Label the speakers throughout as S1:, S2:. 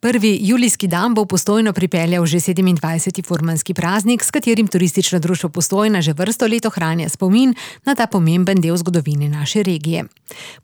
S1: Prvi julijski dan bo v Postojno pripeljal že 27. furmanski praznik, s katerim Turistično društvo Postojna že vrsto let ohranja spomin na ta pomemben del zgodovine naše regije.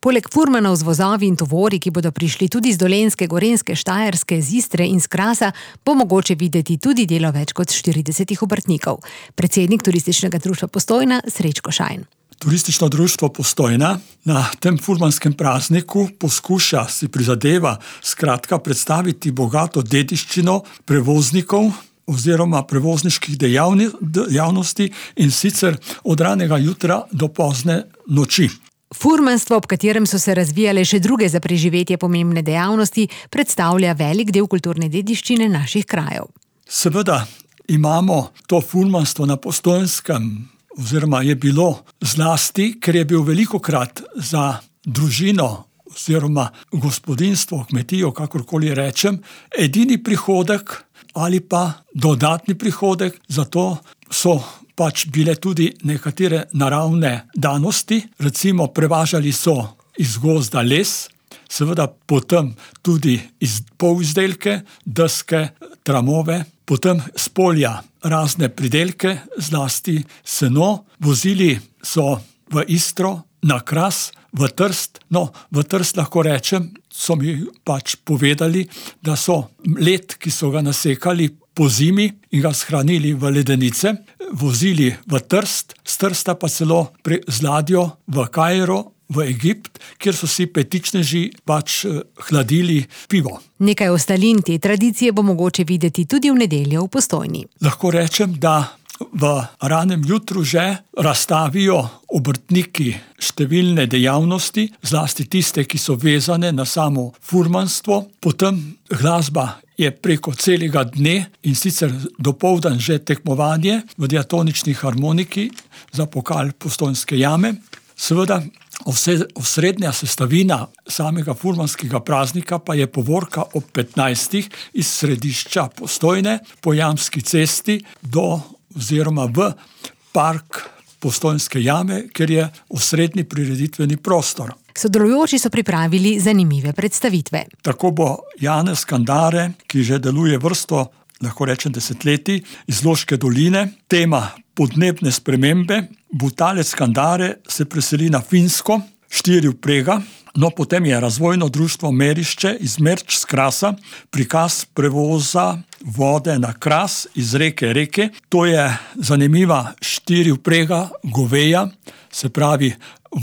S1: Poleg furmanov z vozovi in tovori, ki bodo prišli tudi z Dolenjske, Gorenjske, Štajerske, z Istre in z Krasa, bo mogoče videti tudi delo več kot 40 obrtnikov. Predsednik Turističnega društva Postojna Srečko Šajn.
S2: Turistično društvo Postojna na tem furmanskem prazniku poskuša, si prizadeva skratka predstaviti bogato dediščino prevoznikov oziroma prevozniških dejavnosti in sicer od ranega jutra do pozne noči.
S1: Furmanstvo, ob katerem so se razvijale še druge za preživetje pomembne dejavnosti, predstavlja velik del kulturne dediščine naših krajev.
S2: Seveda imamo to furmanstvo na Postojnskem, oziroma je bilo zlasti, ker je bil velikokrat za družino oziroma gospodinjstvo, kmetijo, kakorkoli rečem, edini prihodek ali pa dodatni prihodek, zato so pač bile tudi nekatere naravne danosti, recimo prevažali so iz gozda les, seveda potem tudi polizdelke, deske, tramove, potem s polja razne pridelke, zlasti seno, vozili so v Istro, na Kras, v Trst. No, v Trst lahko rečem, so mi pač povedali, da so led, ki so ga nasekali po zimi in ga shranili v ledenice, vozili v Trst, z Trsta pa celo z ladjo v Kairo, v Egipt, kjer so si petičneži pač hladili pivo.
S1: Nekaj ostalin te tradicije bo mogoče videti tudi v nedeljo v Postojni.
S2: Lahko rečem, da v ranem jutru že razstavijo obrtniki številne dejavnosti, zlasti tiste, ki so vezane na samo furmanstvo. Potem glasba je preko celega dne in sicer dopoldan že tekmovanje v diatonični harmoniki za pokal Postojnske jame. Seveda, osrednja sestavina samega furmanskega praznika pa je povorka ob 15. iz središča Postojne po Jamski cesti oziroma v park Postojnske jame, ker je osrednji prireditveni prostor.
S1: Sodelujoči so pripravili zanimive predstavitve.
S2: Tako bo Janez Kandare, ki že deluje vrsto, lahko rečem desetletij, iz Loške doline, tema podnebne spremembe. Butalec Kandare se preseli na Finsko, 4 vprega, no potem je razvojno društvo Merišče iz Merč z Krasa, prikaz prevoza vode na Kras iz reke. To je zanimiva 4 vprega goveja, se pravi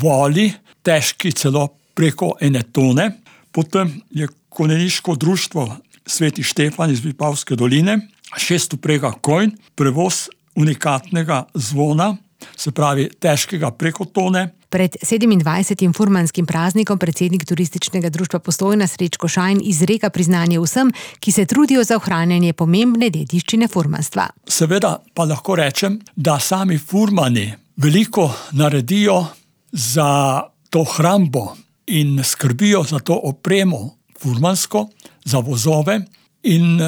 S2: voli, težki celo preko 1 tone. Potem je konjeniško društvo Sveti Štefan iz Vipavske doline, 6 vprega konj, prevoz unikatnega zvona, se pravi težkega preko tone.
S1: Pred 27. furmanskim praznikom predsednik Turističnega društva Postojna Srečko Šajn izreka priznanje vsem, ki se trudijo za ohranjanje pomembne dediščine furmanstva.
S2: Seveda pa lahko rečem, da sami furmani veliko naredijo za to hrambo in skrbijo za to opremo furmansko, za vozove, in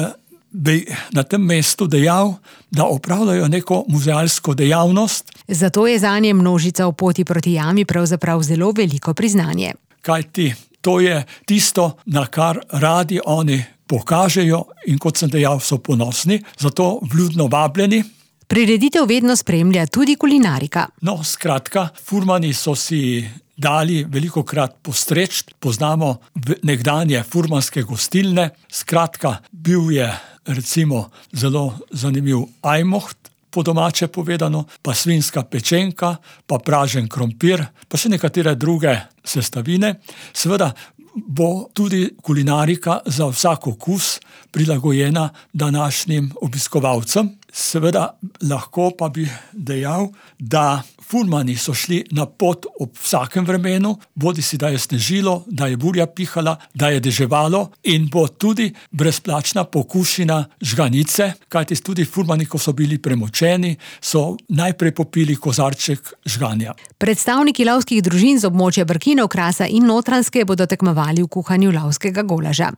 S2: bi na tem mestu dejal, da opravljajo neko muzealsko dejavnost.
S1: Zato je zanje množica v poti proti jami pravzaprav zelo veliko priznanje.
S2: Kajti to je tisto, na kar radi oni pokažejo in kot sem dejal, so ponosni, zato vljudno vabljeni.
S1: Prireditev vedno spremlja tudi kulinarika.
S2: No, skratka, furmani so si dali velikokrat postreč, poznamo nekdanje furmanske gostilne, skratka, bil je recimo zelo zanimiv ajmoht, po domače povedano, pa svinjska pečenka, pa pražen krompir, pa še nekatere druge sestavine. Seveda bo tudi kulinarika za vsak okus prilagojena današnjim obiskovalcem. Seveda lahko pa bi dejal, da furmani so šli na pot ob vsakem vremenu, bodisi da je snežilo, da je burja pihala, da je deževalo, in bo tudi brezplačna pokušina žganice, kajti tudi furmani, ko so bili premočeni, so najprej popili kozarček žganja.
S1: Predstavniki lovskih družin z območja Brkinov, Krasa in Notranjske bodo tekmovali v kuhanju lovskega golaža.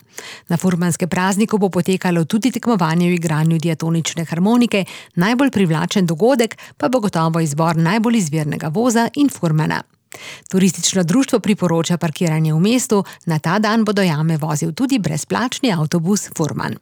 S1: Na furmanskem prazniku bo potekalo tudi tekmovanje v igranju diatonične harmonike, najbolj privlačen dogodek pa bo gotovo izbor najbolj izvirnega voza in furmana. Turistično društvo priporoča parkiranje v mestu, na ta dan bo do jame vozil tudi brezplačni avtobus Furman.